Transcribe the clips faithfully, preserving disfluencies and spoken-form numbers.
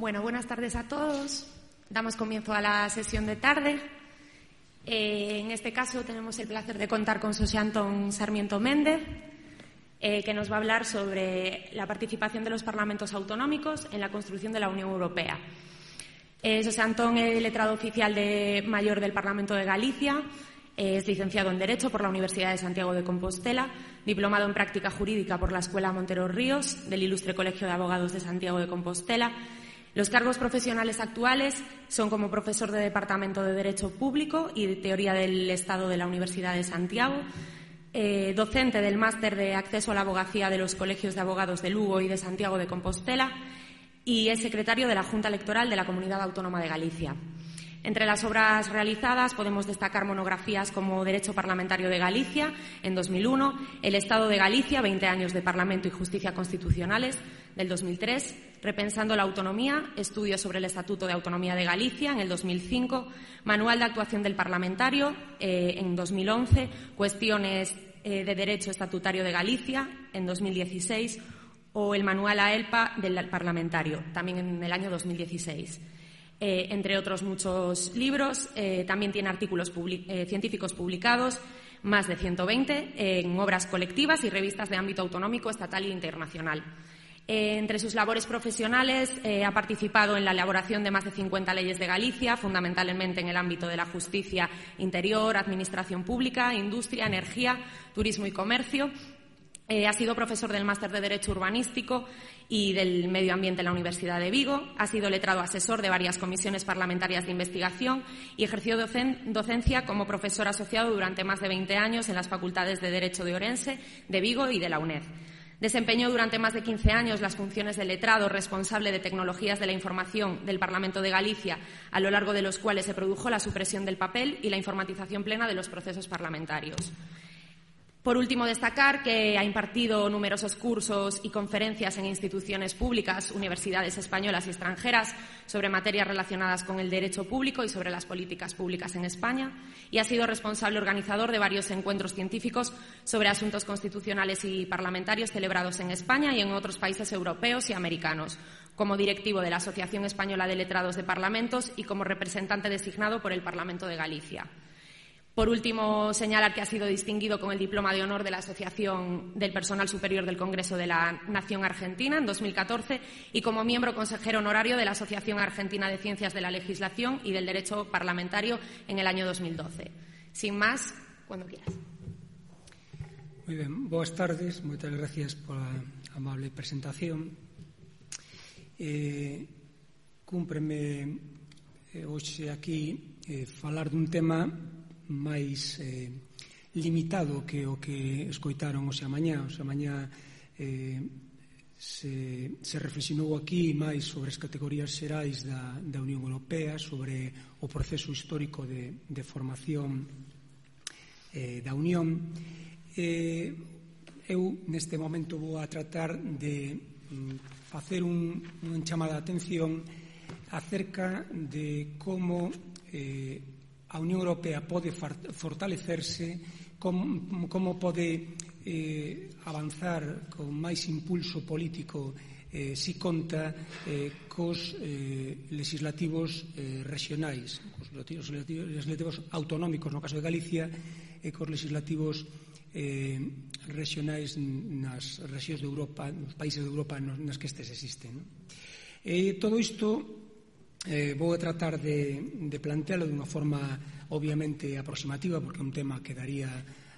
Bueno, buenas tardes a todos. Damos comienzo a la sesión de tarde. Eh, en este caso tenemos el placer de contar con Xosé Antón Sarmiento Méndez, eh, que nos va a hablar sobre la participación de los parlamentos autonómicos en la construcción de la Unión Europea. Eh, Xosé Antón es letrado oficial de mayor del Parlamento de Galicia, eh, es licenciado en Derecho por la Universidad de Santiago de Compostela, diplomado en Práctica Jurídica por la Escuela Montero Ríos del Ilustre Colegio de Abogados de Santiago de Compostela. Los cargos profesionales actuales son como profesor de Departamento de Derecho Público y de Teoría del Estado de la Universidad de Santiago, eh, docente del Máster de Acceso a la Abogacía de los Colegios de Abogados de Lugo y de Santiago de Compostela y es secretario de la Junta Electoral de la Comunidad Autónoma de Galicia. Entre las obras realizadas podemos destacar monografías como Derecho Parlamentario de Galicia, en dos mil uno, El Estado de Galicia, veinte años de Parlamento y Justicia Constitucionales, del dos mil tres, Repensando la Autonomía, Estudios sobre el Estatuto de Autonomía de Galicia, en el dos mil cinco, Manual de Actuación del Parlamentario, eh, en dos mil once, Cuestiones eh, de Derecho Estatutario de Galicia, en dos mil dieciséis, o el Manual A E L P A del Parlamentario, también en el año dos mil dieciséis. Eh, entre otros muchos libros, eh, también tiene artículos public- eh, científicos publicados, más de ciento veinte, eh, en obras colectivas y revistas de ámbito autonómico, estatal e internacional. Eh, entre sus labores profesionales eh, ha participado en la elaboración de más de cincuenta leyes de Galicia, fundamentalmente en el ámbito de la justicia interior, administración pública, industria, energía, turismo y comercio. Eh, ha sido profesor del Máster de Derecho Urbanístico y del Medio Ambiente en la Universidad de Vigo. Ha sido letrado asesor de varias comisiones parlamentarias de investigación y ejerció docen- docencia como profesor asociado durante más de veinte años en las facultades de Derecho de Orense, de Vigo y de la UNED. Desempeñó durante más de quince años las funciones de letrado responsable de tecnologías de la información del Parlamento de Galicia, a lo largo de los cuales se produjo la supresión del papel y la informatización plena de los procesos parlamentarios. Por último, destacar que ha impartido numerosos cursos y conferencias en instituciones públicas, universidades españolas y extranjeras sobre materias relacionadas con el derecho público y sobre las políticas públicas en España y ha sido responsable organizador de varios encuentros científicos sobre asuntos constitucionales y parlamentarios celebrados en España y en otros países europeos y americanos, como directivo de la Asociación Española de Letrados de Parlamentos y como representante designado por el Parlamento de Galicia. Por último, señalar que ha sido distinguido con el Diploma de Honor de la Asociación del Personal Superior del Congreso de la Nación Argentina en dos mil catorce y como miembro consejero honorario de la Asociación Argentina de Ciencias de la Legislación y del Derecho Parlamentario en el año dos mil doce. Sin más, cuando quieras. Moi ben, boas tardes, moitas gracias pola amable presentación. Eh, cúmpreme eh, hoxe aquí eh, falar dun tema máis eh, limitado que o que escoitaron hoxe a mañá. Hoxe a mañá eh, se, se reflexionou aquí máis sobre as categorías xerais da, da Unión Europea, sobre o proceso histórico de, de formación eh, da Unión. Eh, eu, neste momento, vou a tratar de mm, facer un, un chamada de atención acerca de como eh, a Unión Europea pode fortalecerse, como, como pode eh, avanzar con máis impulso político eh, si conta eh, cos eh, legislativos eh, regionais, cos legislativos, legislativos autonómicos no caso de Galicia e cos legislativos eh, regionais nas rexións de Europa, nos países de Europa nas que estes existen. E todo isto Eh, vou tratar de, de plantealo dunha forma obviamente aproximativa, porque é un tema que daría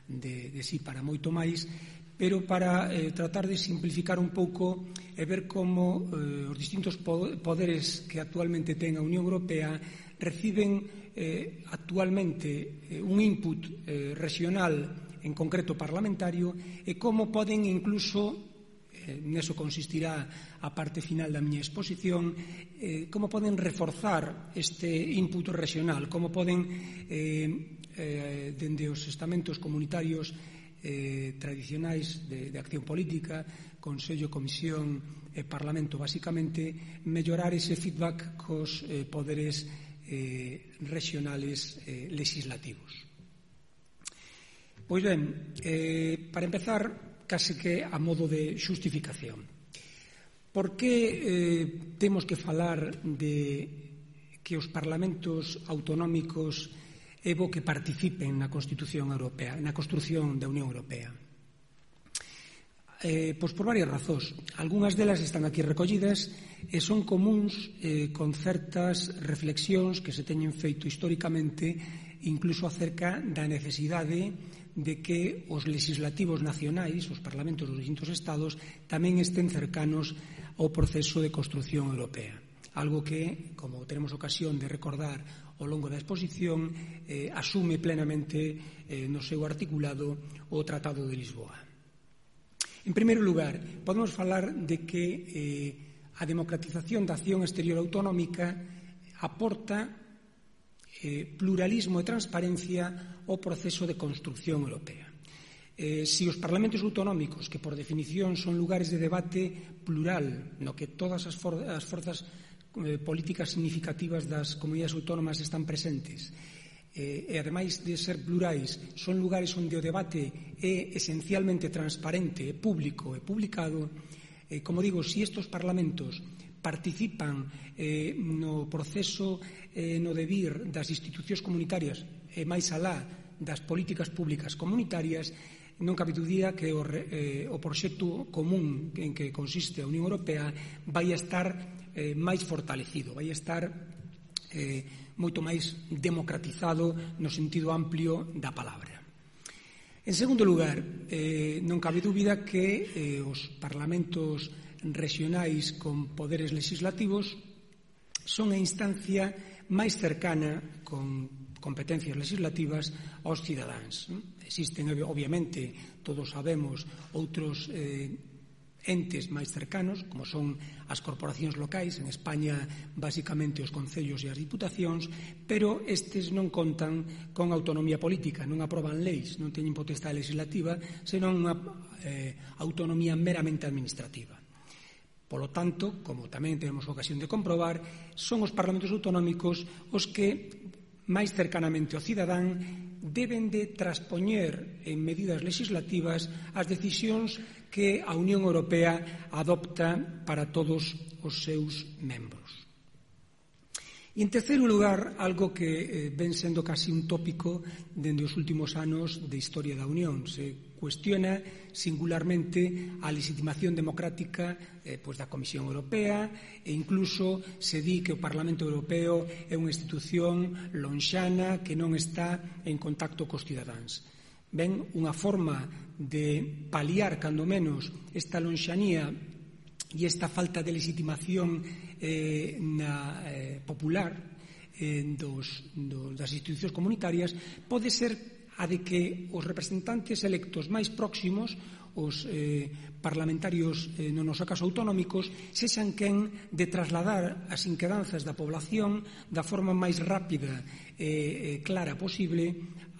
de, de sí para moito máis, pero para eh, tratar de simplificar un pouco e ver como eh, os distintos poderes que actualmente ten a Unión Europea reciben eh, actualmente eh, un input eh, regional, en concreto parlamentario, e como poden incluso Eh, neso consistirá a parte final da miña exposición, eh, como poden reforzar este input regional, como poden, eh, eh, dende os estamentos comunitarios eh, tradicionais de, de acción política, Consello, Comisión e Parlamento, basicamente, mellorar ese feedback cos eh, poderes eh, regionales eh, legislativos. Pois ben, eh, para empezar, case que a modo de xustificación. Por que eh, temos que falar de que os parlamentos autonómicos é bo que participen na Constitución Europea, na construción da Unión Europea? Eh, pois por varias razóns. Algúnas delas están aquí recollidas e son comuns eh, con certas reflexións que se teñen feito históricamente, incluso acerca da necesidade de que os legislativos nacionais, os parlamentos dos distintos estados, tamén estén cercanos ao proceso de construción europea. Algo que, como tenemos ocasión de recordar ao longo da exposición, eh, asume plenamente eh, no seu articulado o Tratado de Lisboa. En primeiro lugar, podemos falar de que eh, a democratización da acción exterior autonómica aporta eh, pluralismo e transparencia ao proceso de construción europea. Eh, si os parlamentos autonómicos, que por definición son lugares de debate plural, no que todas as, for as forzas eh, políticas significativas das comunidades autónomas están presentes, eh, e ademais de ser plurais, son lugares onde o debate é esencialmente transparente, público e publicado, eh, como digo, si estes parlamentos participan eh, no proceso eh, no devir das institucións comunitarias e máis alá das políticas públicas comunitarias, non cabe dúbida que o, eh, o proxecto común en que consiste a Unión Europea vai a estar eh, máis fortalecido, vai a estar eh, moito máis democratizado no sentido amplio da palabra. En segundo lugar, eh, non cabe dúbida que eh, os parlamentos regionais con poderes legislativos son a instancia máis cercana con competencias legislativas aos cidadáns. Existen, obviamente, todos sabemos, outros eh, entes máis cercanos, como son as corporacións locais, en España, basicamente, os concellos e as diputacións, pero estes non contan con autonomía política, non aproban leis, non teñen potestade legislativa, senón unha eh, autonomía meramente administrativa. Polo tanto, como tamén temos ocasión de comprobar, son os parlamentos autonómicos os que máis cercanamente ao cidadán deben de traspoñer en medidas legislativas as decisións que a Unión Europea adopta para todos os seus membros. E, en terceiro lugar, algo que eh, ven sendo casi un tópico dende os últimos anos de historia da Unión. Se cuestiona singularmente a legitimación democrática eh, pues da Comisión Europea e incluso se di que o Parlamento Europeo é unha institución lonxana que non está en contacto cos cidadáns. Ben, unha forma de paliar, cando menos, esta lonxanía e esta falta de legitimación eh, na, eh, popular eh, dos, dos, das institucións comunitarias pode ser a de que os representantes electos máis próximos, os eh, parlamentarios, eh, no noso caso autonómicos, sexan quen de trasladar as inquedanzas da población da forma máis rápida e eh, clara posible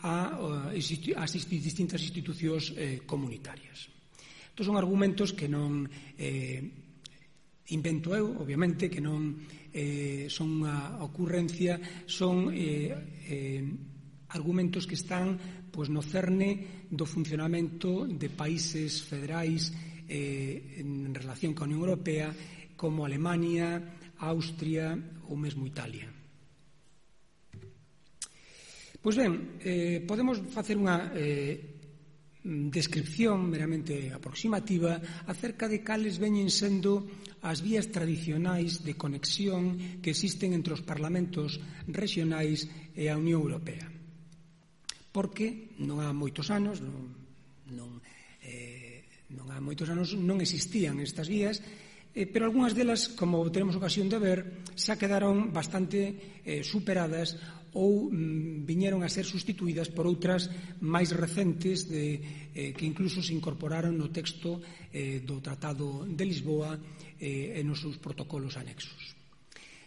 a, a, a distintas institucións eh, comunitarias. Estos son argumentos que non eh, invento eu, obviamente, que non eh, son unha ocurrencia, son eh, eh, argumentos que están pois, no cerne do funcionamento de países federais eh, en relación coa Unión Europea como Alemania, Austria ou mesmo Italia. Pois ben, eh, podemos facer unha eh, descripción meramente aproximativa acerca de cales veñen sendo as vías tradicionais de conexión que existen entre os parlamentos regionais e a Unión Europea. Porque non há moitos anos, non, non, eh, non há moitos anos non existían estas vías, eh, pero algunhas delas, como tenemos ocasión de ver, xa quedaron bastante eh, superadas ou mm, viñeron a ser sustituídas por outras máis recentes de, eh, que incluso se incorporaron no texto eh, do Tratado de Lisboa eh, e nos seus protocolos anexos.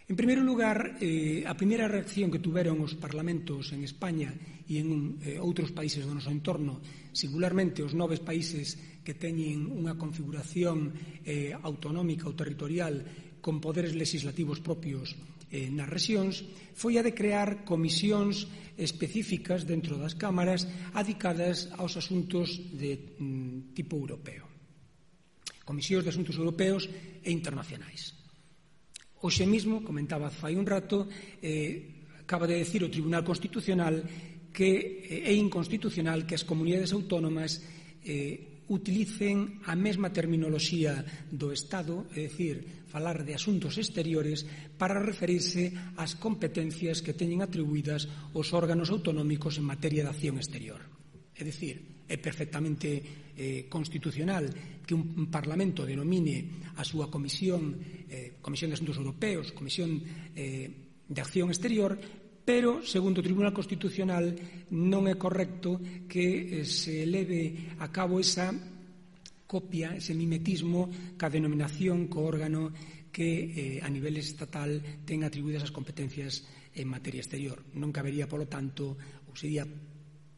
En primeiro lugar, eh, a primeira reacción que tuveron os parlamentos en España e en eh, outros países do noso entorno, singularmente os noves países que teñen unha configuración eh, autonómica ou territorial con poderes legislativos propios eh, nas rexións, foi a de crear comisións específicas dentro das cámaras adicadas aos asuntos de mm, tipo europeo. comisións de asuntos europeos e internacionais. Hoxe mesmo, comentaba fai un rato, eh, acaba de decir o Tribunal Constitucional que é inconstitucional que as comunidades autónomas eh, utilicen a mesma terminoloxía do Estado, é dicir, falar de asuntos exteriores para referirse ás competencias que teñen atribuídas os órganos autonómicos en materia de acción exterior. É dicir, é perfectamente eh, constitucional que un Parlamento denomine a súa comisión, eh, Comisión de Asuntos Europeos, Comisión eh, de Acción Exterior, pero, segundo o Tribunal Constitucional, non é correcto que eh, se leve a cabo esa copia, ese mimetismo ca denominación co órgano que eh, a nivel estatal ten atribuídas as competencias en materia exterior. Non cabería, polo tanto, ou sería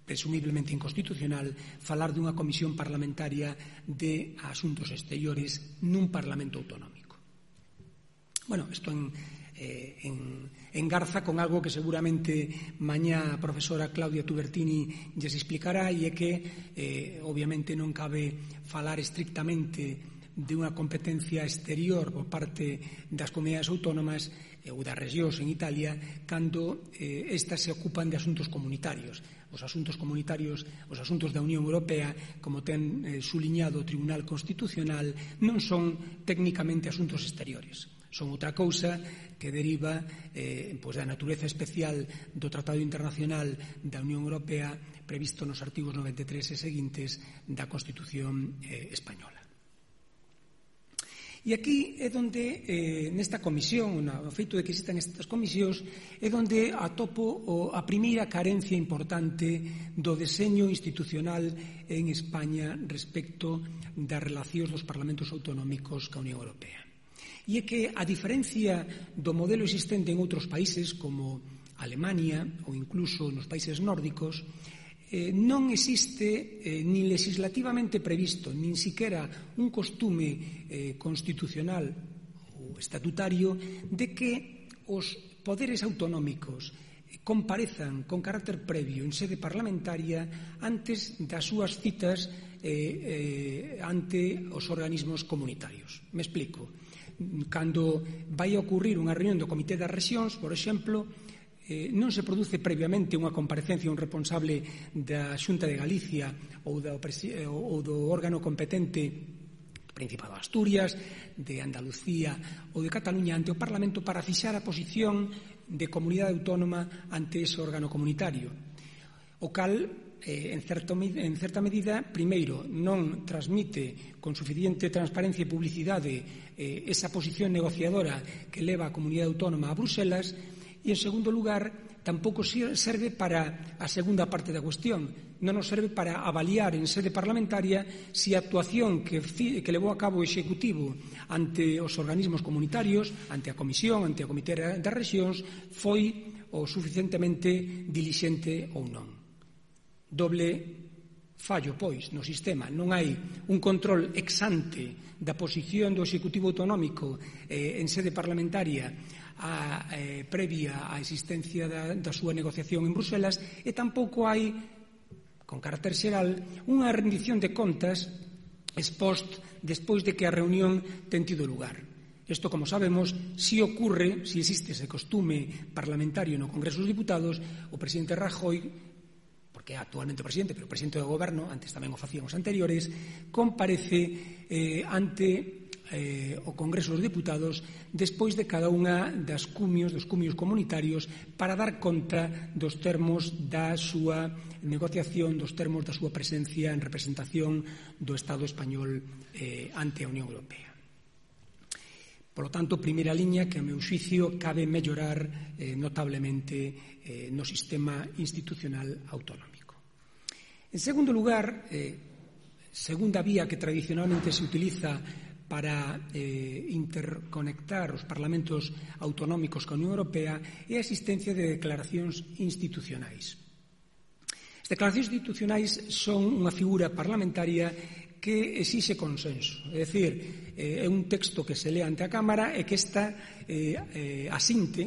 presumiblemente inconstitucional falar dunha comisión parlamentaria de asuntos exteriores nun Parlamento autonómico. Bueno, isto en, eh, en, engarza con algo que seguramente mañá a profesora Claudia Tubertini lles explicará, e é que eh, obviamente non cabe falar estrictamente de unha competencia exterior por parte das comunidades autónomas eh, ou das regións en Italia cando eh, estas se ocupan de asuntos comunitarios. Os asuntos comunitarios, os asuntos da Unión Europea, como ten eh, suliñado o Tribunal Constitucional, non son técnicamente asuntos exteriores. Son outra cousa que deriva eh, pois da natureza especial do Tratado Internacional da Unión Europea previsto nos artigos noventa e tres e seguintes da Constitución eh, española. E aquí é onde, eh, nesta comisión, o feito de que existan estas comisións, é onde atopo o, a primeira carencia importante do deseño institucional en España respecto das relacións dos parlamentos autonómicos ca Unión Europea. E é que, a diferencia do modelo existente en outros países, como Alemania ou incluso nos países nórdicos, Eh, non existe eh, ni legislativamente previsto, nin siquiera un costume eh, constitucional ou estatutario de que os poderes autonómicos comparezan con carácter previo en sede parlamentaria antes das súas citas eh, eh, ante os organismos comunitarios. Me explico. Cando vai a ocurrir unha reunión do Comité das Rexións, por exemplo, Eh, non se produce previamente unha comparecencia un responsable da Xunta de Galicia ou do, ou do órgano competente do Principado de Asturias, de Andalucía ou de Cataluña ante o Parlamento para fixar a posición de comunidade autónoma ante ese órgano comunitario, o cal eh, en, certo, en certa medida, primeiro, non transmite con suficiente transparencia e publicidade eh, esa posición negociadora que leva a comunidade autónoma a Bruselas. E, en segundo lugar, tampouco serve para a segunda parte da cuestión. Non nos serve para avaliar en sede parlamentaria se a actuación que, que levou a cabo o Executivo ante os organismos comunitarios, ante a Comisión, ante a Comité das Rexións, foi o suficientemente dilixente ou non. Doble fallo, pois, no sistema. Non hai un control ex ante da posición do Executivo Autonómico eh, en sede parlamentaria a, eh, previa á existencia da, da súa negociación en Bruselas, e tampouco hai, con carácter xeral, unha rendición de contas ex post despois de que a reunión ten tido lugar. Isto, como sabemos, si ocurre, si existe ese costume parlamentario no Congreso dos Diputados, o presidente Rajoy, porque é actualmente o presidente, pero o presidente do Goberno, antes tamén o facían os anteriores, comparece eh, ante Eh, o Congreso dos Diputados despois de cada unha das cumios, dos cumios comunitarios, para dar conta dos termos da súa negociación, dos termos da súa presencia en representación do Estado español eh, ante a Unión Europea. Por lo tanto, primeira liña que, a meu xuicio, cabe mellorar eh, notablemente eh, no sistema institucional autonómico. En segundo lugar, eh, segunda vía que tradicionalmente se utiliza para eh, interconectar os parlamentos autonómicos ca Unión Europea é a existencia de declaracións institucionais. As declaracións institucionais son unha figura parlamentaria que exixe consenso, é dicir, eh, é un texto que se lea ante a Cámara e que esta eh, eh, asinte,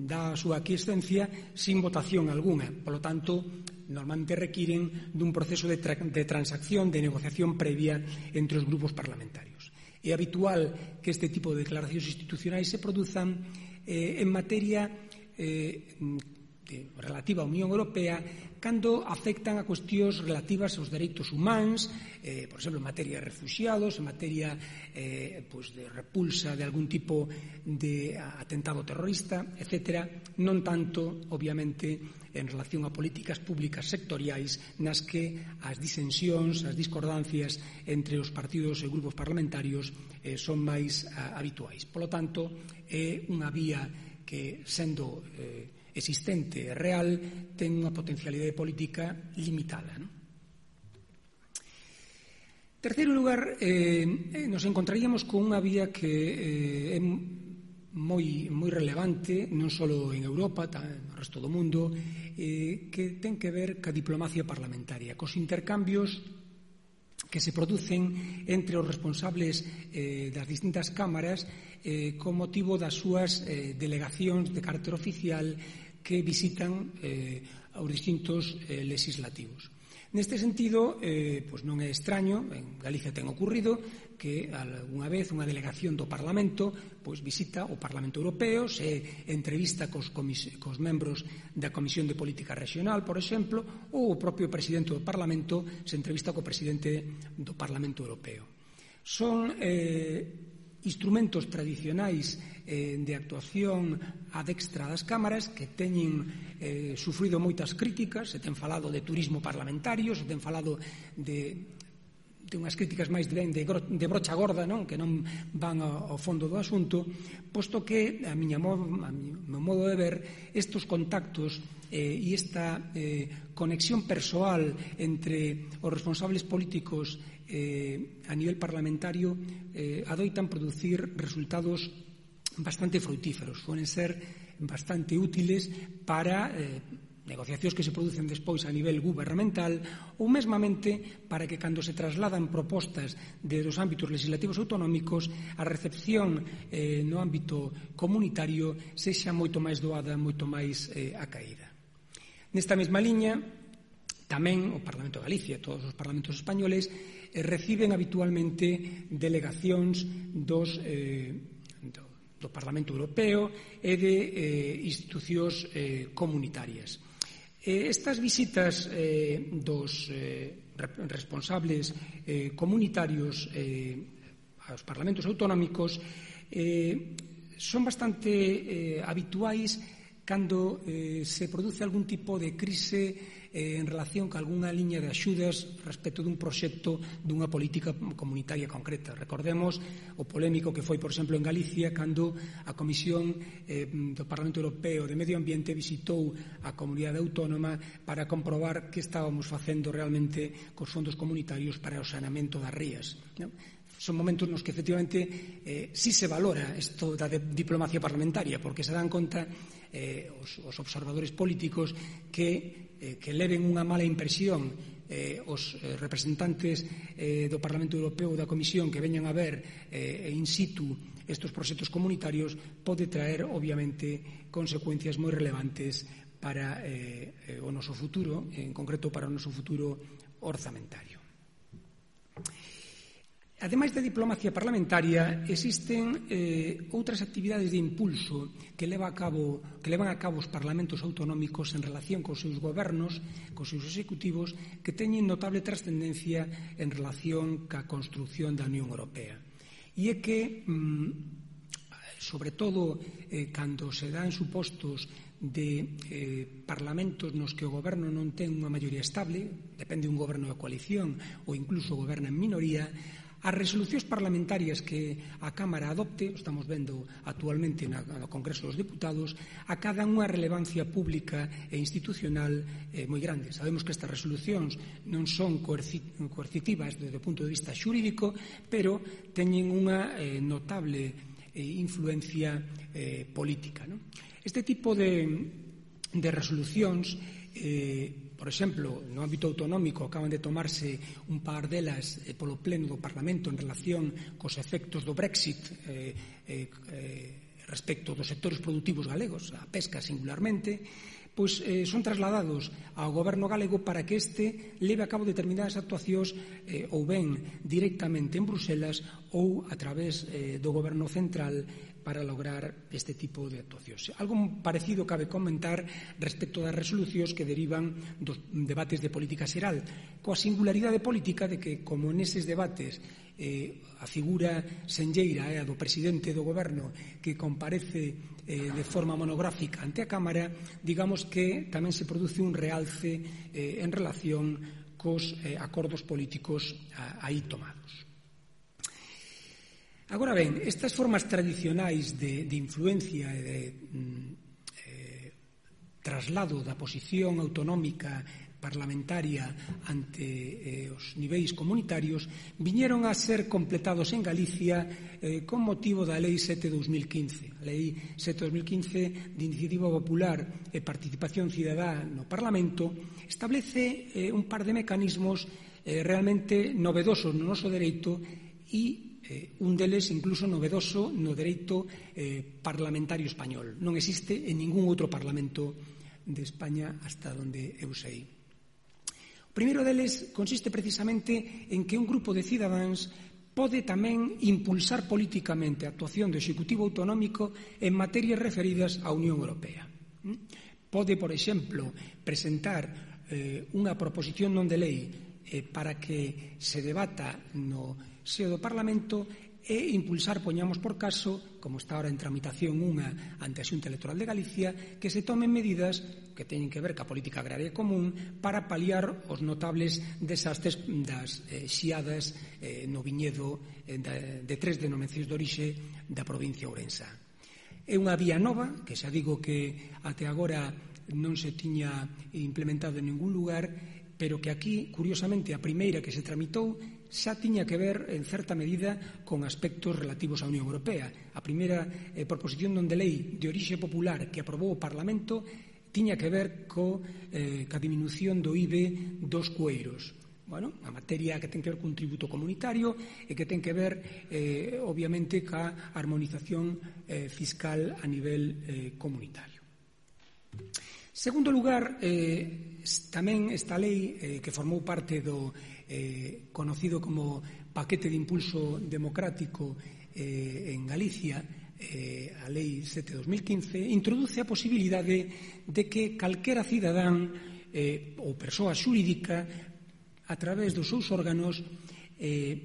dá a súa aquiescencia sin votación algunha. Por lo tanto, normalmente requiren dun proceso de, tra de transacción, de negociación previa entre os grupos parlamentarios. É habitual que este tipo de declaracións institucionais se produzan eh, en materia eh, de, relativa á Unión Europea cando afectan a cuestións relativas aos dereitos humanos, eh, por exemplo, en materia de refuxiados, en materia eh, pues de repulsa de algún tipo de atentado terrorista, etcétera, non tanto, obviamente, en relación a políticas públicas sectoriais nas que as disensións, as discordancias entre os partidos e grupos parlamentarios eh, son máis a, habituais. Polo tanto, é unha vía que, sendo eh, existente e real, ten unha potencialidade política limitada, non? En terceiro lugar, eh, nos encontraríamos con unha vía que eh, é moi, moi relevante, non só en Europa, tamén no resto do mundo, eh, que ten que ver ca diplomacia parlamentaria, cos intercambios que se producen entre os responsables eh, das distintas cámaras eh, con motivo das súas eh, delegacións de carácter oficial que visitan eh, aos distintos eh, legislativos. Neste sentido, eh, pois non é extraño, en Galicia ten ocurrido que algunha vez unha delegación do Parlamento pois visita o Parlamento Europeo, se entrevista cos, comis- cos membros da Comisión de Política Regional, por exemplo, ou o propio presidente do Parlamento se entrevista co presidente do Parlamento Europeo. Son eh, instrumentos tradicionais eh, de actuación a dextra das cámaras que teñen eh, sufrido moitas críticas, se ten falado de turismo parlamentario, se ten falado de, de unhas críticas máis de, de, de brocha gorda, non? Que non van ao, ao fondo do asunto, posto que, a miña modo, a meu modo de ver, estes contactos eh, e esta eh, conexión persoal entre os responsables políticos eh, a nivel parlamentario eh, adoitan producir resultados bastante frutíferos, suelen ser bastante útiles para eh, negociacións que se producen despois a nivel gubernamental ou mesmamente para que cando se trasladan propostas de dos ámbitos legislativos autonómicos a recepción eh, no ámbito comunitario sexa moito máis doada, moito máis eh, acaída. Nesta mesma liña, tamén o Parlamento de Galicia e todos os parlamentos españoles eh, reciben habitualmente delegacións dos, eh, do, do Parlamento Europeo e de eh, institucións eh, comunitarias. Eh, estas visitas eh, dos eh, responsables eh, comunitarios eh, aos parlamentos autonómicos eh, son bastante eh, habituais cando eh, se produce algún tipo de crise eh, en relación con algunha liña de axudas respecto dun proxecto dunha política comunitaria concreta. Recordemos o polémico que foi, por exemplo, en Galicia cando a Comisión eh, do Parlamento Europeo de Medio Ambiente visitou a comunidade autónoma para comprobar que estábamos facendo realmente cos fondos comunitarios para o saneamento das rías, non? Son momentos nos que efectivamente eh, sí se valora isto da diplomacia parlamentaria, porque se dan conta eh, os, os observadores políticos que, eh, que leven unha mala impresión eh, os eh, representantes eh, do Parlamento Europeo ou da Comisión que veñan a ver eh, in situ estes proxectos comunitarios pode traer, obviamente, consecuencias moi relevantes para eh, o noso futuro, en concreto para o noso futuro orzamentario. Ademais da diplomacia parlamentaria, existen eh, outras actividades de impulso que, leva a cabo, que levan a cabo os parlamentos autonómicos en relación cos seus gobernos, cos seus executivos, que teñen notable trascendencia en relación ca construción da Unión Europea. E é que, mm, sobre todo, eh, cando se dan supostos de eh, parlamentos nos que o goberno non ten unha maioría estable, depende un goberno de coalición ou incluso goberna en minoría, as resolucións parlamentarias que a Cámara adopte, estamos vendo actualmente no Congreso dos Deputados, acadan unha relevancia pública e institucional eh, moi grande. Sabemos que estas resolucións non son coercitivas desde o punto de vista xurídico, pero teñen unha eh, notable eh, influencia eh, política, non? Este tipo de, de resolucións eh, por exemplo, no ámbito autonómico acaban de tomarse un par delas eh, polo pleno do Parlamento en relación cos efectos do Brexit eh, eh, eh, respecto dos sectores productivos galegos, a pesca singularmente, pois eh, son trasladados ao goberno galego para que este leve a cabo determinadas actuacións eh, ou ben directamente en Bruselas ou a través eh, do goberno central para lograr este tipo de actuacións. Algo parecido cabe comentar respecto das resolucións que derivan dos debates de política xeral, coa singularidade política de que, como neses debates eh, a figura senlleira é a do presidente do goberno que comparece eh, de forma monográfica ante a Cámara, digamos que tamén se produce un realce eh, en relación cos eh, acordos políticos a, aí tomados. Agora ben, estas formas tradicionais de, de influencia e de eh, traslado da posición autonómica parlamentaria ante eh, os niveis comunitarios viñeron a ser completados en Galicia eh, con motivo da Lei sete barra dos mil quince. A Lei sete barra dos mil quince de Iniciativa Popular e Participación Cidadá no Parlamento establece eh, un par de mecanismos eh, realmente novedosos no noso dereito e Eh, un deles incluso novedoso no dereito eh, parlamentario español. Non existe en ningún outro parlamento de España hasta onde eu sei. O primeiro deles consiste precisamente en que un grupo de cidadáns pode tamén impulsar políticamente a actuación do Executivo Autonómico en materias referidas á Unión Europea. Pode, por exemplo, presentar eh, unha proposición non de lei eh, para que se debata no seo do Parlamento e impulsar, poñamos por caso, como está ahora en tramitación unha ante a Xunta Electoral de Galicia, que se tomen medidas que teñen que ver ca política agraria común para paliar os notables desastres das eh, xiadas eh, no viñedo eh, de, de tres denominacións de orixe da provincia ourensa. É unha vía nova, que xa digo que até agora non se tiña implementado en ningún lugar, pero que aquí, curiosamente, a primeira que se tramitou xa tiña que ver, en certa medida, con aspectos relativos á Unión Europea. A primeira eh, proposición non de lei de orixe popular que aprobou o Parlamento tiña que ver co, eh, ca diminución do I V A dos cueiros. Bueno, a materia que ten que ver cun tributo comunitario e que ten que ver, eh, obviamente, ca armonización eh, fiscal a nivel eh, comunitario. Segundo lugar, eh, tamén esta lei eh, que formou parte do eh, conocido como paquete de impulso democrático eh, en Galicia, eh, a Lei sete barra dos mil quince, introduce a posibilidade de que calquera cidadán eh, ou persoa xurídica a través dos seus órganos eh,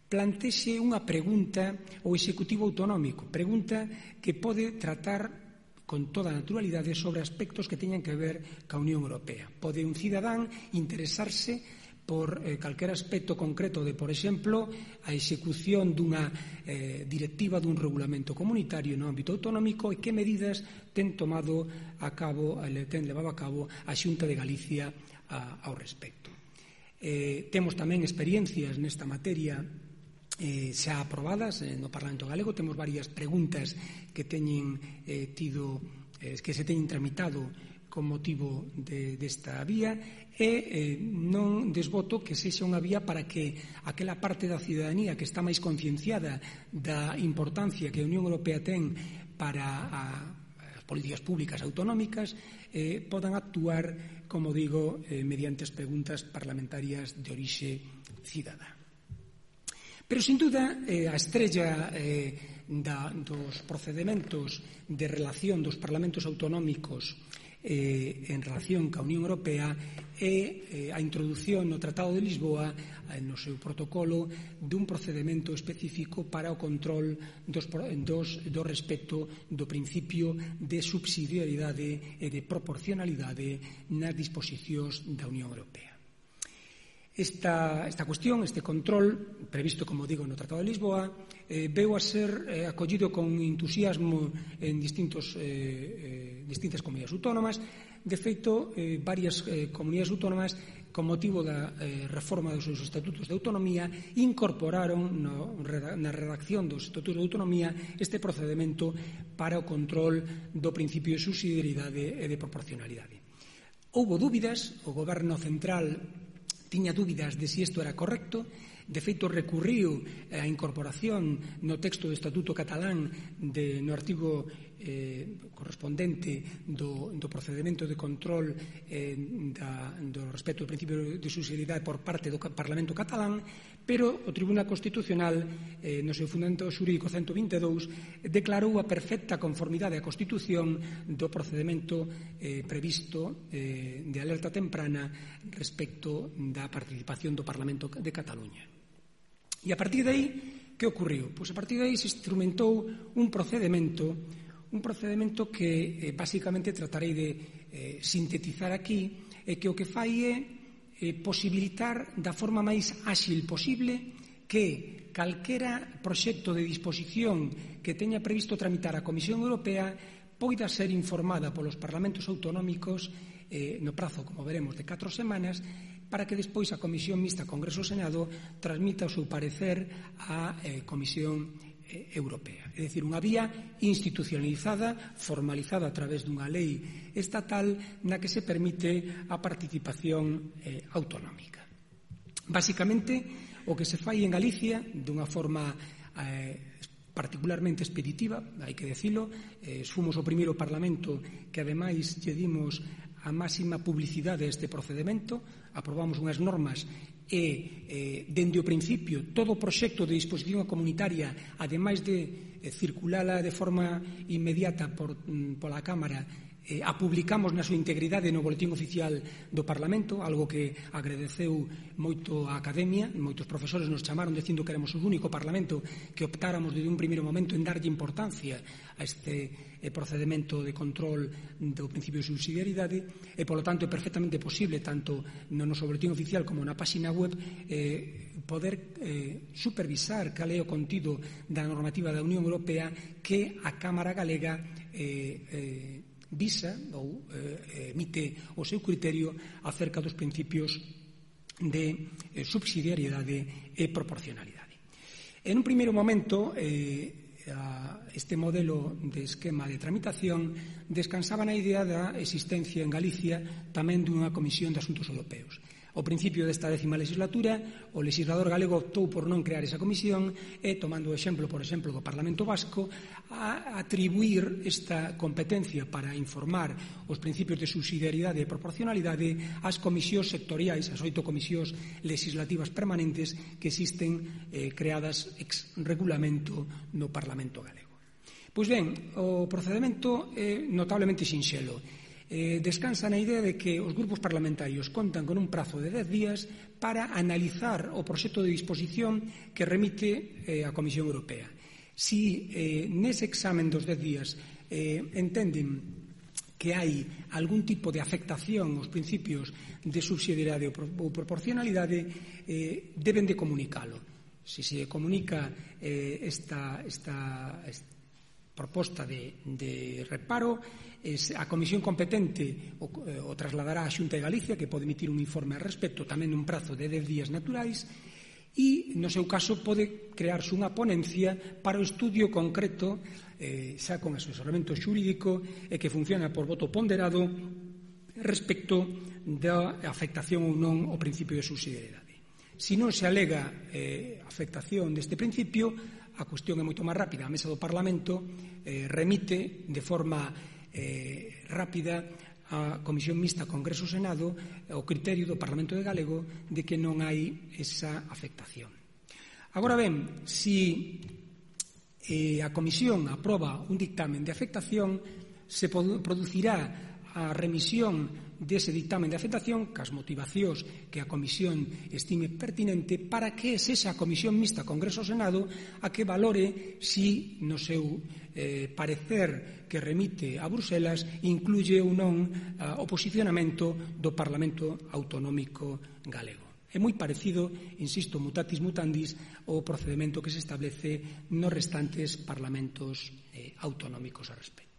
plantexe unha pregunta ao Executivo Autonómico, pregunta que pode tratar con toda a naturalidade sobre aspectos que teñan que ver ca Unión Europea. Pode un cidadán interesarse por eh, calquer aspecto concreto de, por exemplo, a execución dunha eh, directiva dun regulamento comunitario no ámbito autonómico e que medidas ten tomado a cabo, ten levado a cabo a Xunta de Galicia a, ao respecto. Eh, temos tamén experiencias nesta materia Eh, xa aprobadas eh, no Parlamento Galego. Temos varias preguntas que teñen eh, tido eh, que se teñen tramitado con motivo de, desta vía e eh, non desboto que sexa unha vía para que aquela parte da cidadanía que está máis concienciada da importancia que a Unión Europea ten para a, as políticas públicas autonómicas eh, podan actuar, como digo, eh, mediante as preguntas parlamentarias de orixe cidadá. Pero, sin duda, eh, a estrella eh, da, dos procedementos de relación dos parlamentos autonómicos eh, en relación ca Unión Europea é eh, a introdución no Tratado de Lisboa, eh, no seu protocolo, dun procedemento específico para o control dos, dos, do respecto do principio de subsidiariedade e de proporcionalidade nas disposicións da Unión Europea. Esta, esta cuestión, este control, previsto, como digo, no Tratado de Lisboa, eh, veu a ser eh, acollido con entusiasmo en distintos, eh, eh, distintas comunidades autónomas. De feito, eh, varias eh, comunidades autónomas, con motivo da eh, reforma dos seus estatutos de autonomía, incorporaron no, na redacción dos estatutos de autonomía este procedemento para o control do principio de subsidiariedade e de proporcionalidade. Houbo dúbidas, o Goberno Central tiña dúbidas de si isto era correcto, De feito, recurriu a incorporación no texto do Estatuto Catalán de, no artigo eh, correspondente do, do procedimento de control eh, da, do respecto ao principio de subsidiariedade por parte do Parlamento catalán, pero o Tribunal Constitucional, eh, no seu fundamento xurídico ciento vinte e dous, declarou a perfecta conformidade á Constitución do procedimento eh, previsto eh, de alerta temprana respecto da participación do Parlamento de Cataluña. E a partir de aí, que ocorreu? Pois a partir de aí se instrumentou un procedimento un procedimento que eh, basicamente tratarei de eh, sintetizar aquí, e que o que fai é eh, posibilitar da forma máis áxil posible que calquera proxecto de disposición que teña previsto tramitar a Comisión Europea poida ser informada polos parlamentos autonómicos eh, no prazo, como veremos, de catro semanas, para que despois a Comisión Mixta Congreso-Senado transmita o seu parecer á eh, Comisión Europea. É dicir, unha vía institucionalizada, formalizada a través dunha lei estatal na que se permite a participación eh, autonómica. Básicamente, o que se fai en Galicia dunha forma eh, particularmente expeditiva, hai que decilo, eh, fomos o primeiro Parlamento que ademais lle dimos a máxima publicidade a este procedimento, aprobamos unhas normas e, eh, dende o principio, todo o proxecto de disposición comunitaria, ademais de eh, circulala de forma inmediata por, mm, pola Cámara, eh, a publicamos na súa integridade no Boletín Oficial do Parlamento, algo que agradeceu moito a Academia. Moitos profesores nos chamaron dicindo que éramos o único Parlamento que optáramos desde un primeiro momento en darlle importancia a este eh, procedimento de control do principio de subsidiariedade, e, polo tanto, é perfectamente posible, tanto no noso Boletín Oficial como na páxina web, eh, poder eh, supervisar cal é o contido da normativa da Unión Europea que a Cámara Galega eh, eh, visa ou eh, emite o seu criterio acerca dos principios de eh, subsidiariedade e proporcionalidade. En un primeiro momento, eh, a, este modelo de esquema de tramitación descansaba na idea da existencia en Galicia tamén dunha Comisión de Asuntos Europeos. Ao principio desta décima legislatura, o legislador galego optou por non crear esa comisión e, tomando o exemplo, por exemplo, do Parlamento Vasco, a atribuir esta competencia para informar os principios de subsidiariedade e proporcionalidade ás comisións sectoriais, as oito comisións legislativas permanentes que existen eh, creadas ex regulamento no Parlamento galego. Pois ben, o procedimento é notablemente sinxelo. Eh, descansa na idea de que os grupos parlamentarios contan con un prazo de dez días para analizar o proxecto de disposición que remite eh, a Comisión Europea. Si eh, nese examen dos dez días eh, entenden que hai algún tipo de afectación aos principios de subsidiariedade ou proporcionalidade, eh, deben de comunicalo. Si se comunica eh, esta, esta, esta proposta de, de reparo, es, a comisión competente o, o trasladará á Xunta de Galicia, que pode emitir un informe al respecto tamén nun prazo de dez días naturais, e no seu caso pode crearse unha ponencia para o estudio concreto, eh, xa con asesoramento xurídico e que funciona por voto ponderado respecto da afectación ou non ao principio de subsidiariedade. Se non se alega eh, afectación deste principio, a cuestión é moito máis rápida. A mesa do Parlamento eh, remite de forma eh, rápida a Comisión Mixta Congreso-Senado o criterio do Parlamento de Galego de que non hai esa afectación. Agora ben, se eh, a Comisión aproba un dictamen de afectación, se producirá a remisión dese dictamen de afectación cas motivacións que a Comisión estime pertinente para que sexa a Comisión Mixta Congreso-Senado a que valore si no seu eh, parecer que remite a Bruselas incluye ou non uh, o posicionamento do Parlamento Autonómico Galego. É moi parecido, insisto, mutatis mutandis, o procedimento que se establece nos restantes parlamentos eh, autonómicos a respecto.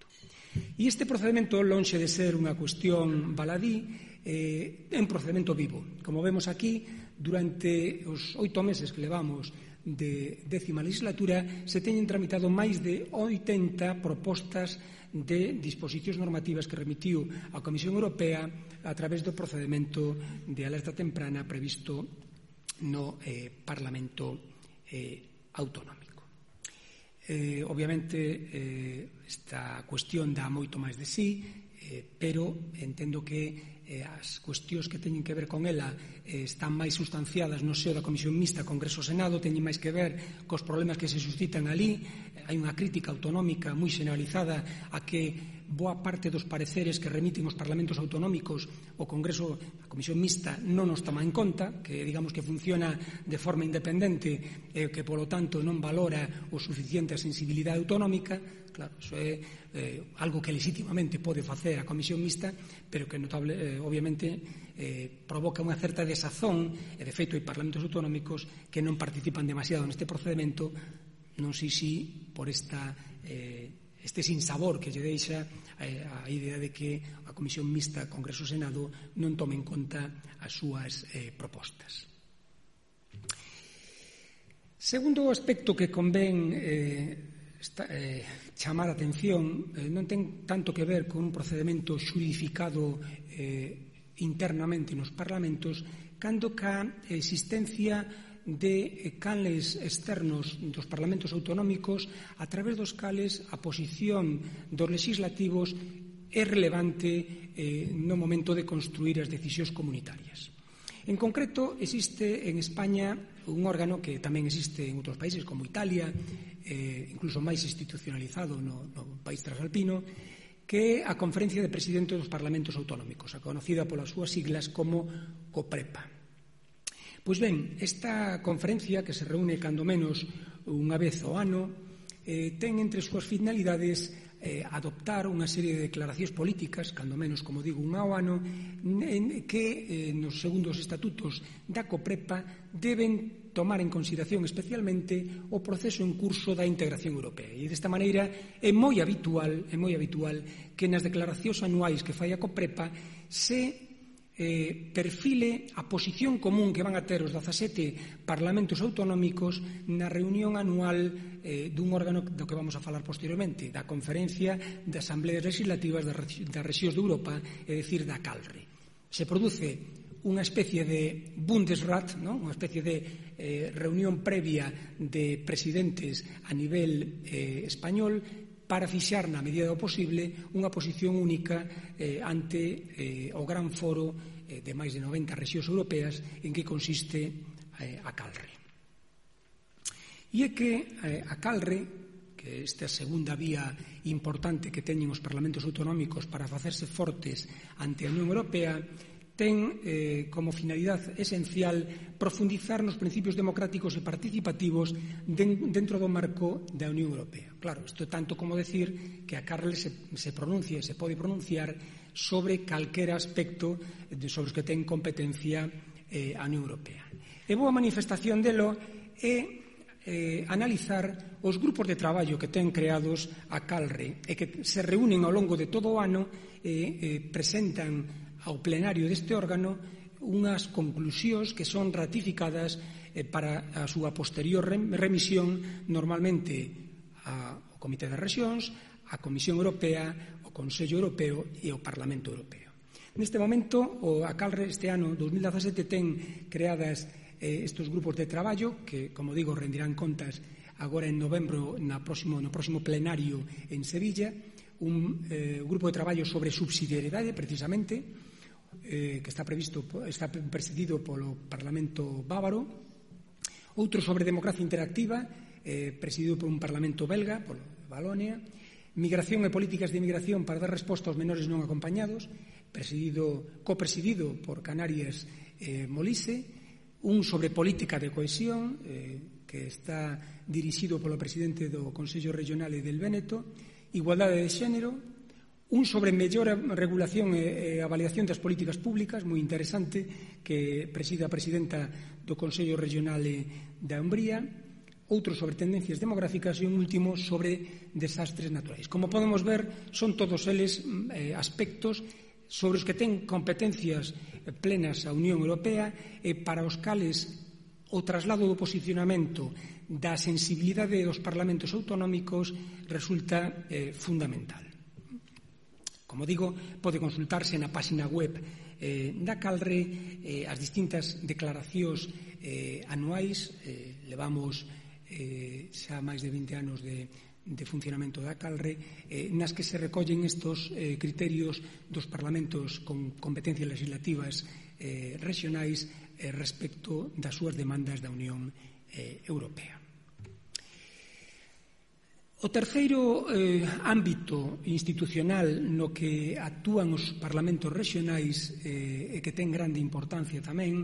E este procedimento, lonxe de ser unha cuestión baladí, eh, é un procedimento vivo. Como vemos aquí, durante os oito meses que levamos de décima legislatura, se teñen tramitado máis de oitenta propostas de disposicións normativas que remitiu a Comisión Europea a través do procedimento de alerta temprana previsto no eh, Parlamento eh, autonómico. Eh, obviamente, eh, esta cuestión dá moito máis de sí, eh, pero entendo que eh, as cuestións que teñen que ver con ela eh, están máis sustanciadas no seo da Comisión Mixta Congreso-Senado, teñen máis que ver cos problemas que se suscitan ali. Hai unha crítica autonómica moi generalizada a que boa parte dos pareceres que remiten os parlamentos autonómicos o Congreso, a Comisión Mixta non os toma en conta, que digamos que funciona de forma independente e eh, que polo tanto non valora o suficiente a sensibilidade autonómica. Claro, iso é eh, algo que legitimamente pode facer a Comisión Mixta, pero que notable, eh, obviamente eh, provoca unha certa desazón, e de feito hai parlamentos autonómicos que non participan demasiado neste procedimento, non sei si por esta eh, este sinsabor que lle deixa eh, a idea de que a Comisión Mixta Congreso-Senado non tome en conta as súas eh, propostas. Segundo aspecto que convén eh, esta, eh, chamar a atención eh, non ten tanto que ver con un procedimento xudificado eh, internamente nos parlamentos, cando ca existencia de canles externos dos parlamentos autonómicos a través dos cales a posición dos legislativos é relevante eh, no momento de construir as decisións comunitarias. En concreto, existe en España un órgano que tamén existe en outros países como Italia, eh, incluso máis institucionalizado no, no país transalpino, que é a Conferencia de Presidentes dos Parlamentos Autonómicos, a conocida polas súas siglas como COPREPA. Pois ben, esta conferencia, que se reúne cando menos unha vez ao ano, eh, ten entre as súas finalidades eh, adoptar unha serie de declaracións políticas, cando menos, como digo, unha ao ano, en que eh, nos segundos estatutos da COPREPA deben tomar en consideración especialmente o proceso en curso da integración europea. E desta maneira é moi habitual, é moi habitual que nas declaracións anuais que fai a COPREPA se Eh, perfile a posición común que van a ter os dezasete parlamentos autonómicos na reunión anual eh, dun órgano do que vamos a falar posteriormente, da Conferencia de Asambleas Legislativas das Rexións de Europa, é dicir, da CALRE. Se produce unha especie de Bundesrat, ¿no? Unha especie de eh, reunión previa de presidentes a nivel eh, español, para fixar, na medida do posible, unha posición única eh, ante eh, o gran foro eh, de máis de noventa rexións europeas en que consiste eh, a CALRE. E é que eh, a CALRE, que esta segunda vía importante que teñen os parlamentos autonómicos para facerse fortes ante a Unión Europea, ten eh, como finalidade esencial profundizar nos principios democráticos e participativos den, dentro do marco da Unión Europea. Claro, isto é tanto como decir que a CALRE se, se pronuncia e se pode pronunciar sobre calquera aspecto de, sobre os que ten competencia eh, a Unión Europea. E boa manifestación delo é eh, analizar os grupos de traballo que ten creados a CALRE e que se reúnen ao longo de todo o ano e eh, presentan ao plenario deste órgano unhas conclusións que son ratificadas eh, para a súa posterior remisión normalmente ao Comité das Rexións, á Comisión Europea, ao Consello Europeo e ao Parlamento Europeo. Neste momento, o a CALRE este ano dos mil dezasete ten creadas eh, estes grupos de traballo que, como digo, rendirán contas agora en novembro na próximo, no próximo plenario en Sevilla, un eh, grupo de traballo sobre subsidiariedade, precisamente, Eh, que está previsto, está presidido polo Parlamento bávaro, outro sobre democracia interactiva, eh, presidido por un Parlamento belga, polo Valonia, migración e políticas de inmigración para dar resposta aos menores non acompañados, presidido, copresidido por Canarias eh, Molise, un sobre política de cohesión, eh, que está dirixido polo presidente do Consello Regional e del Véneto, igualdade de xénero, un sobre mellor regulación e avaliación das políticas públicas, moi interesante, que preside a presidenta do Consello Regional da Umbría, outro sobre tendencias demográficas e un último sobre desastres naturais. Como podemos ver, son todos eles eh, aspectos sobre os que ten competencias plenas a Unión Europea e para os cales o traslado do posicionamento da sensibilidade dos parlamentos autonómicos resulta eh, fundamental. Como digo, pode consultarse na página web eh, da Calre eh, as distintas declaracións eh, anuais. Eh, levamos eh, xa máis de vinte anos de, de funcionamento da Calre, eh, nas que se recollen estos eh, criterios dos parlamentos con competencias legislativas eh, regionais eh, respecto das súas demandas da Unión eh, Europea. O terceiro eh, ámbito institucional no que actúan os parlamentos regionais eh, e que ten grande importancia tamén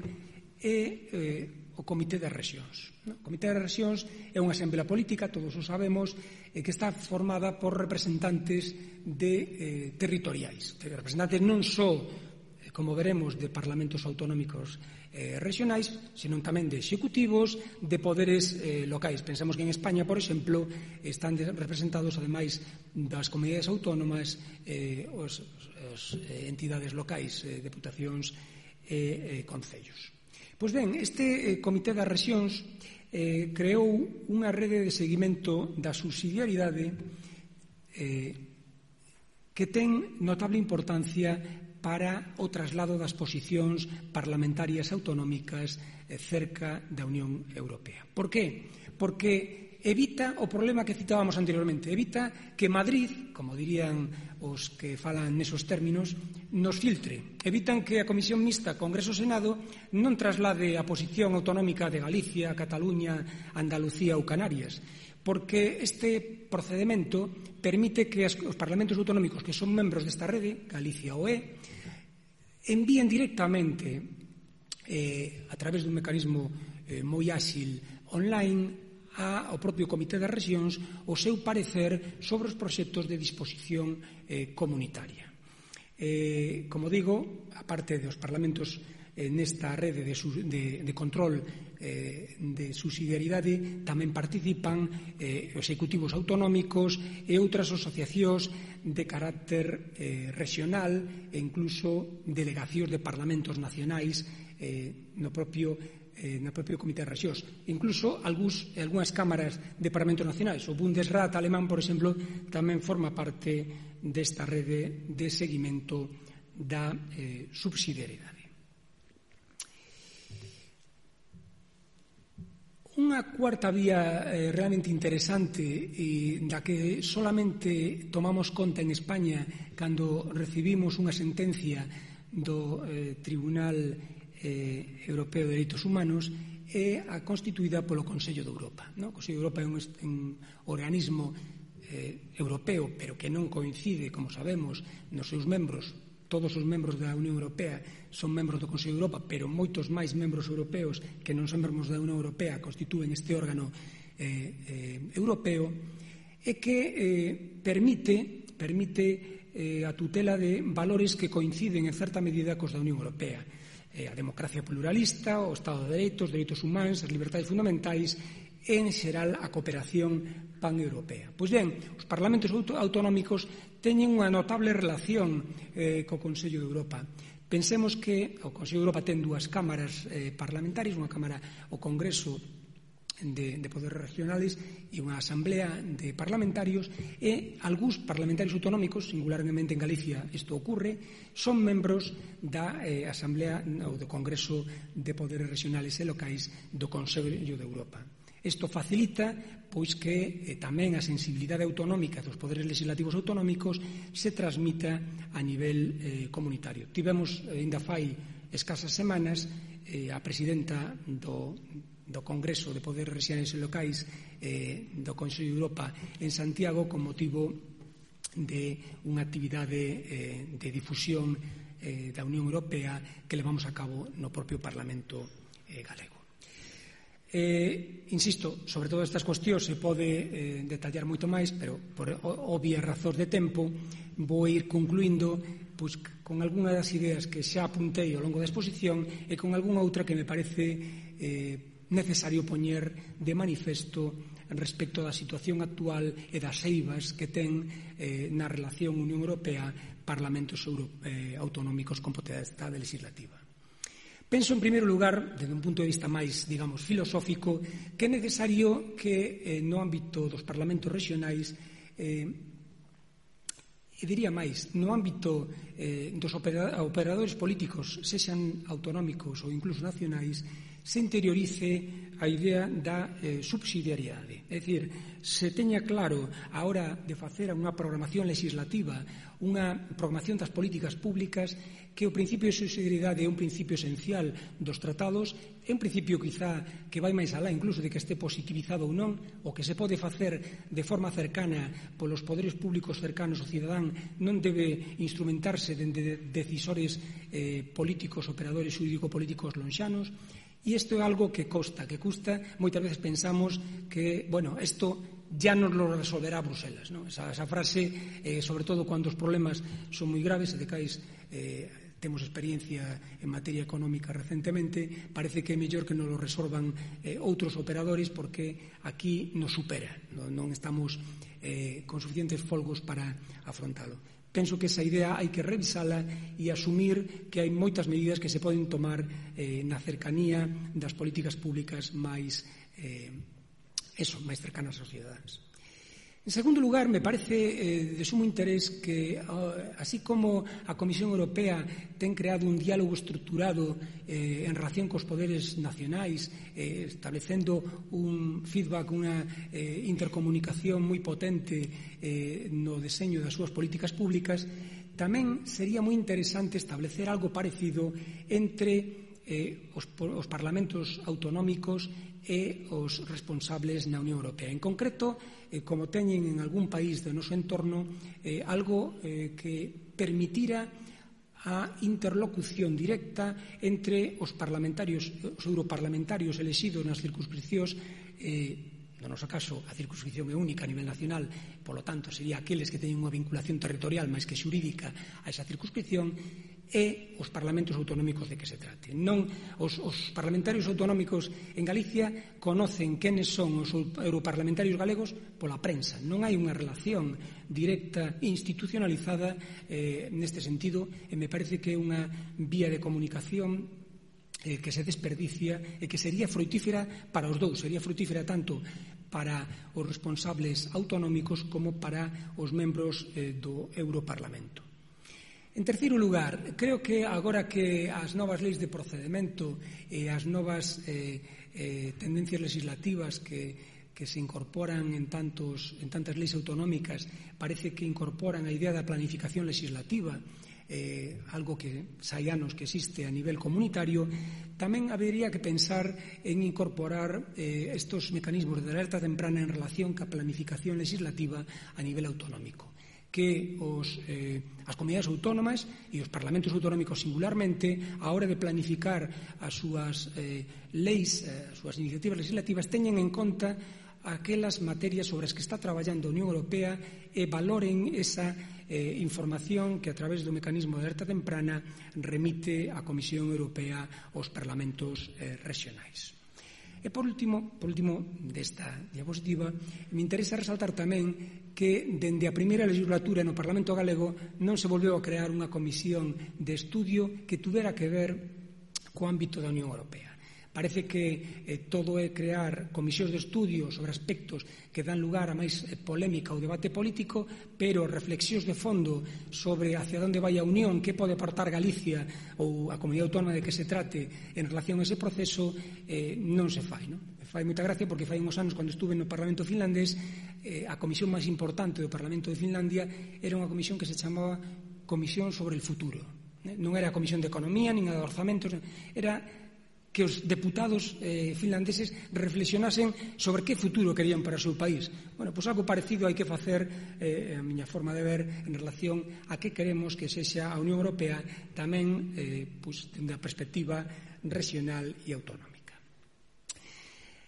é eh, o Comité das Rexións. O Comité das Rexións é unha asamblea política, todos o sabemos, eh, que está formada por representantes de, eh, territoriais, representantes non só, eh, como veremos, de parlamentos autonómicos Eh, regionais, senón tamén de executivos, de poderes eh, locais. Pensamos que en España, por exemplo, están representados, ademais das comunidades autónomas, eh, os, os eh, entidades locais, eh, deputacións e eh, concellos. Pois ben, este eh, Comité das Rexións eh, creou unha rede de seguimento da subsidiariedade eh, que ten notable importancia para o traslado das posicións parlamentarias autonómicas cerca da Unión Europea. Por qué? Porque evita o problema que citábamos anteriormente, evita que Madrid, como dirían os que falan nesos términos, nos filtre. Evitan que a Comisión Mixta Congreso-Senado non traslade a posición autonómica de Galicia, Cataluña, Andalucía ou Canarias, porque este procedimento permite que os parlamentos autonómicos que son membros desta rede, Galicia o é, envíen directamente eh, a través dun mecanismo eh, moi áxil online ao propio Comité das Rexións o seu parecer sobre os proxectos de disposición eh, comunitaria. Eh, como digo, a parte dos parlamentos eh, nesta rede de, de, de control eh, de subsidiariedade tamén participan eh, executivos autonómicos e outras asociacións de carácter eh, regional e incluso delegacións de parlamentos nacionais eh, no propio eh, no propio Comité de Rexións. Incluso algúns, algúnas cámaras de parlamentos nacionais. O Bundesrat alemán, por exemplo, tamén forma parte desta rede de seguimento da eh, subsidiariedade. Unha cuarta vía eh, realmente interesante e da que solamente tomamos conta en España cando recibimos unha sentencia do eh, Tribunal eh, Europeo de Dereitos Humanos é a constituída polo Consello de Europa. No? O Consello de Europa é un, un organismo eh, europeo, pero que non coincide, como sabemos, nos seus membros. Todos os membros da Unión Europea son membros do Consello de Europa, pero moitos máis membros europeos que non son membros da Unión Europea constitúen este órgano eh, eh, europeo, e que eh, permite, permite eh, a tutela de valores que coinciden en certa medida cos da Unión Europea. Eh, a democracia pluralista, o Estado de Dereitos, dereitos humanos, as libertades fundamentais e, en xeral, a cooperación paneuropea. Pois ben, os parlamentos autonómicos teñen unha notable relación eh, co Consello de Europa. Pensemos que o Consello de Europa ten dúas cámaras eh, parlamentarias, unha cámara, o Congreso de, de Poderes Regionales e unha asamblea de parlamentarios, e algúns parlamentarios autonómicos, singularmente en Galicia isto ocurre, son membros da eh, asamblea ou do Congreso de Poderes Regionales e Locais do Consello de Europa. Isto facilita pois que eh, tamén a sensibilidade autonómica dos poderes legislativos autonómicos se transmita a nivel eh, comunitario. Tivemos, eh, ainda fai escasas semanas, eh, a presidenta do, do Congreso de Poderes Regionais e Locais eh, do Consello de Europa en Santiago con motivo de unha actividade eh, de difusión eh, da Unión Europea que levamos a cabo no propio Parlamento eh, galego. Eh, insisto, sobre todas estas cuestións se pode eh, detallar moito máis, pero por obvias razóns de tempo vou ir concluindo pois, con algunha das ideas que xa apuntei ao longo da exposición e con algunha outra que me parece eh, necesario poñer de manifesto respecto da situación actual e das eivas que ten eh, na relación Unión Europea-Parlamentos Euro, eh, autonómicos con potestade legislativa. Penso, en primeiro lugar, desde un punto de vista máis, digamos, filosófico, que é necesario que eh, no ámbito dos parlamentos regionais eh, E diría máis, no ámbito eh, dos operadores políticos, sexan autonómicos ou incluso nacionais, se interiorice a idea da eh, subsidiariedade. É dicir, se teña claro a hora de facer unha programación legislativa, unha programación das políticas públicas, que o principio de subsidiariedade é un principio esencial dos tratados, é un principio quizá que vai máis alá incluso de que este positivizado ou non, o que se pode facer de forma cercana polos poderes públicos cercanos ao cidadán non debe instrumentarse dende decisores eh, políticos, operadores xurídico-políticos lonxanos. E isto é algo que costa, que custa. Moitas veces pensamos que, bueno, isto ya nos lo resolverá Bruselas, ¿no? Esa, esa frase, eh, sobre todo cuando os problemas son moi graves, e de cais eh, temos experiencia en materia económica recentemente, parece que é mellor que nos lo resolvan eh, outros operadores, porque aquí nos supera, non, non estamos eh, con suficientes folgos para afrontalo. Penso que esa idea hai que revisala e asumir que hai moitas medidas que se poden tomar eh, na cercanía das políticas públicas máis, eh, eso, máis cercanas aos cidadáns. En segundo lugar, me parece eh, de sumo interés que, así como a Comisión Europea ten creado un diálogo estruturado eh, en relación cos poderes nacionais, eh, establecendo un feedback, unha eh, intercomunicación moi potente eh, no deseño das súas políticas públicas, tamén sería moi interesante establecer algo parecido entre eh, os, os parlamentos autonómicos e os responsables na Unión Europea. En concreto, eh, como teñen en algún país do noso entorno, eh, algo eh, que permitira a interlocución directa entre os parlamentarios, os europarlamentarios elexidos nas circunscripcións, eh, no noso caso, a circunscripción é única a nivel nacional, polo tanto, sería aqueles que teñen unha vinculación territorial máis que xurídica a esa circunscripción, e os parlamentos autonómicos de que se trate. Non, os, os parlamentarios autonómicos en Galicia conocen quenes son os europarlamentarios galegos pola prensa. Non hai unha relación directa institucionalizada eh, neste sentido, e me parece que é unha vía de comunicación eh, que se desperdicia e que sería frutífera para os dous, sería frutífera tanto para os responsables autonómicos como para os membros eh, do Europarlamento. En terceiro lugar, creo que agora que as novas leis de procedimento e as novas eh, eh, tendencias legislativas que, que se incorporan en, tantos, en tantas leis autonómicas, parece que incorporan a idea da planificación legislativa, eh, algo que hai anos que existe a nivel comunitario, tamén habería que pensar en incorporar eh, estos mecanismos de alerta temprana en relación ca planificación legislativa a nivel autonómico, que os, eh, as comunidades autónomas e os parlamentos autonómicos singularmente, a hora de planificar as súas eh, leis, eh, as súas iniciativas legislativas, teñen en conta aquelas materias sobre as que está traballando a Unión Europea e valoren esa eh, información que a través do mecanismo de alerta temprana remite a Comisión Europea aos parlamentos eh, regionais. E por último, por último desta diapositiva, me interesa resaltar tamén que dende a primeira legislatura no Parlamento Galego non se volveu a crear unha comisión de estudio que tuvera que ver co ámbito da Unión Europea. Parece que eh, todo é crear comisións de estudio sobre aspectos que dan lugar a máis eh, polémica ou debate político, pero reflexións de fondo sobre hacia onde vai a Unión, que pode aportar Galicia ou a comunidade autónoma de que se trate en relación a ese proceso, eh, non se fai, non? Fai moita gracia porque fai uns anos, cando estuve no Parlamento finlandés, eh, a comisión máis importante do Parlamento de Finlandia era unha comisión que se chamaba Comisión sobre el Futuro. Eh? Non era a Comisión de Economía, nin a de Orzamentos, era que os deputados eh, finlandeses reflexionasen sobre que futuro querían para o seu país. Bueno, pois algo parecido hai que facer, eh, a miña forma de ver, en relación a que queremos que sexa a Unión Europea tamén eh, pois, dende a perspectiva regional e autonómica.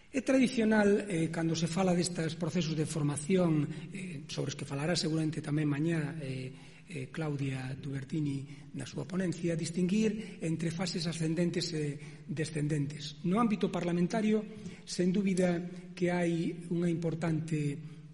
É tradicional, eh, cando se fala destes procesos de formación, eh, sobre os que falará seguramente tamén mañá eh, eh, Claudia Dubertini na súa ponencia, distinguir entre fases ascendentes e descendentes. No ámbito parlamentario, sen dúbida que hai unha importante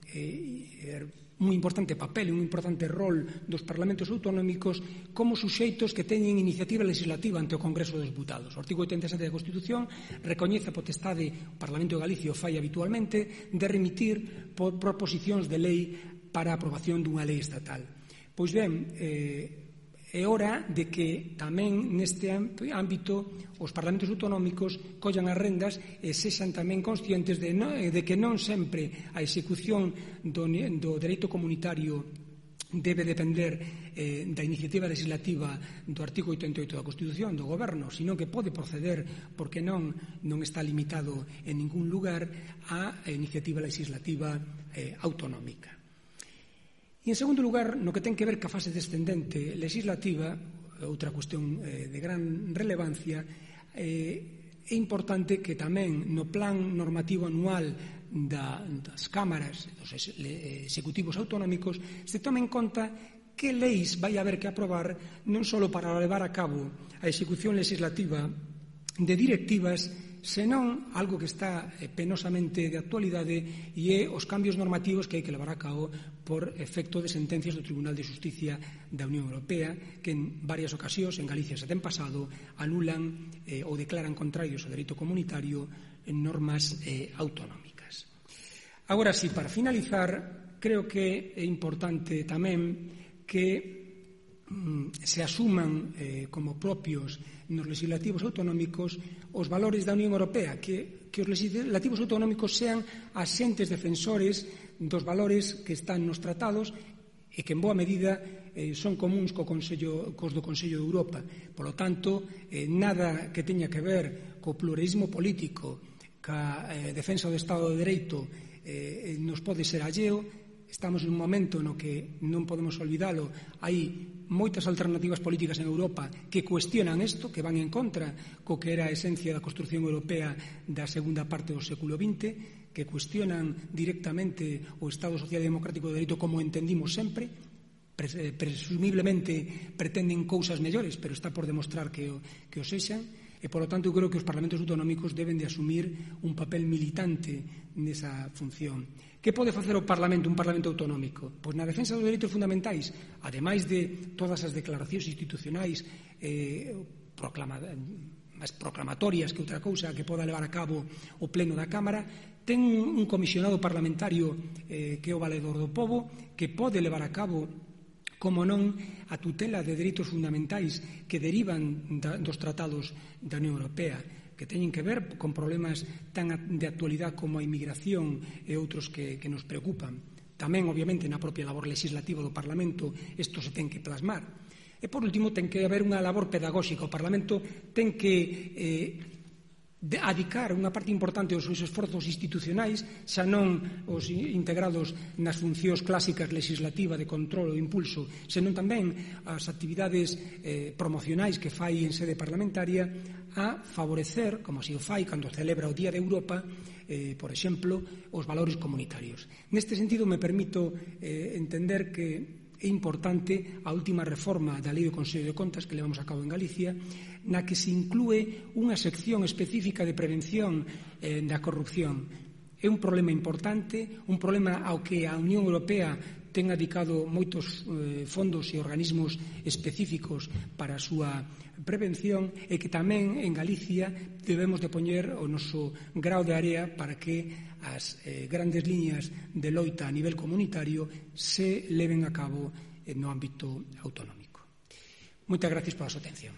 eh, un importante papel e un importante rol dos parlamentos autonómicos como suxeitos que teñen iniciativa legislativa ante o Congreso dos Deputados. O artigo oitenta e sete da Constitución recoñece a potestade, o Parlamento de Galicia o fai habitualmente, de remitir por proposicións de lei para a aprobación dunha lei estatal. Pois ben, eh, é hora de que tamén neste ámbito os parlamentos autonómicos collan as rendas e sexan tamén conscientes de, no, de que non sempre a execución do, do dereito comunitario debe depender eh, da iniciativa legislativa do artigo oitenta e oito da Constitución do Goberno, sino que pode proceder, porque non non está limitado en ningún lugar a iniciativa legislativa eh, autonómica. E, en segundo lugar, no que ten que ver ca fase descendente legislativa, outra cuestión eh, de gran relevancia, eh, é importante que tamén no plan normativo anual Da, das cámaras, dos executivos autonómicos, se tome en conta que leis vai haber que aprobar non só para levar a cabo a execución legislativa de directivas, senón algo que está penosamente de actualidade e é os cambios normativos que hai que levar a cabo por efecto de sentencias do Tribunal de Xusticia da Unión Europea, que en varias ocasións, en Galicia se ten pasado, anulan eh, ou declaran contrarios ao dereito comunitario en normas eh, autonómicas. Agora sí, para finalizar, creo que é importante tamén que mm, se asuman eh, como propios nos legislativos autonómicos os valores da Unión Europea, que, que os legislativos autonómicos sean asentes defensores dos valores que están nos tratados e que en boa medida eh, son comuns co Consello, cos do Consello de Europa. Por lo tanto, eh, nada que teña que ver co pluralismo político, ca eh, defensa do Estado de Dereito, Eh, nos pode ser alleo. Estamos en un momento no que non podemos olvidalo, hai moitas alternativas políticas en Europa que cuestionan isto, que van en contra co que era a esencia da construción europea da segunda parte do século vinte, que cuestionan directamente o Estado Social e Democrático de Dereito como entendimos sempre. Presumiblemente pretenden cousas mellores, pero está por demostrar que o, que o sexan. E, por lo tanto, eu creo que os parlamentos autonómicos deben de asumir un papel militante nesa función. Que pode facer o Parlamento, un Parlamento autonómico? Pois na defensa dos dereitos fundamentais, ademais de todas as declaracións institucionais eh, proclamadas, máis proclamatorias que outra cousa que poda levar a cabo o Pleno da Cámara, ten un comisionado parlamentario eh, que é o Valedor do Pobo, que pode levar a cabo, como non, a tutela de dereitos fundamentais que derivan da, dos tratados da Unión Europea, que teñen que ver con problemas tan de actualidade como a inmigración e outros que, que nos preocupan. Tamén, obviamente, na propia labor legislativa do Parlamento isto se ten que plasmar. E, por último, ten que haber unha labor pedagóxica. O Parlamento ten que eh, de adicar unha parte importante dos seus esforzos institucionais, xa non os integrados nas funcións clásicas legislativa de control e impulso, senón tamén as actividades eh, promocionais que fai en sede parlamentaria a favorecer, como se o fai cando celebra o Día de Europa, eh, por exemplo, os valores comunitarios. Neste sentido, me permito eh, entender que é importante a última reforma da Lei do Consello de Contas que levamos a cabo en Galicia, na que se inclúe unha sección específica de prevención eh, da corrupción. É un problema importante, un problema ao que a Unión Europea ten dedicado moitos eh, fondos e organismos específicos para a súa prevención, e que tamén en Galicia debemos de poñer o noso grao de area para que as eh, grandes liñas de loita a nivel comunitario se leven a cabo eh, no ámbito autonómico. Moitas gracias pola súa atención.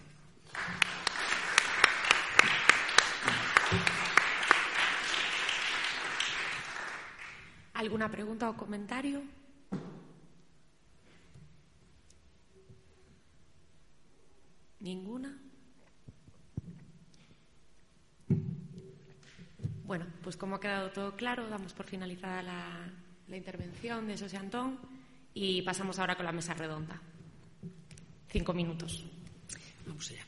¿Alguna pregunta o comentario? ¿Ninguna? Bueno, pues como ha quedado todo claro, damos por finalizada la, la intervención de José Antón y pasamos ahora con la mesa redonda. Cinco minutos. Vamos allá.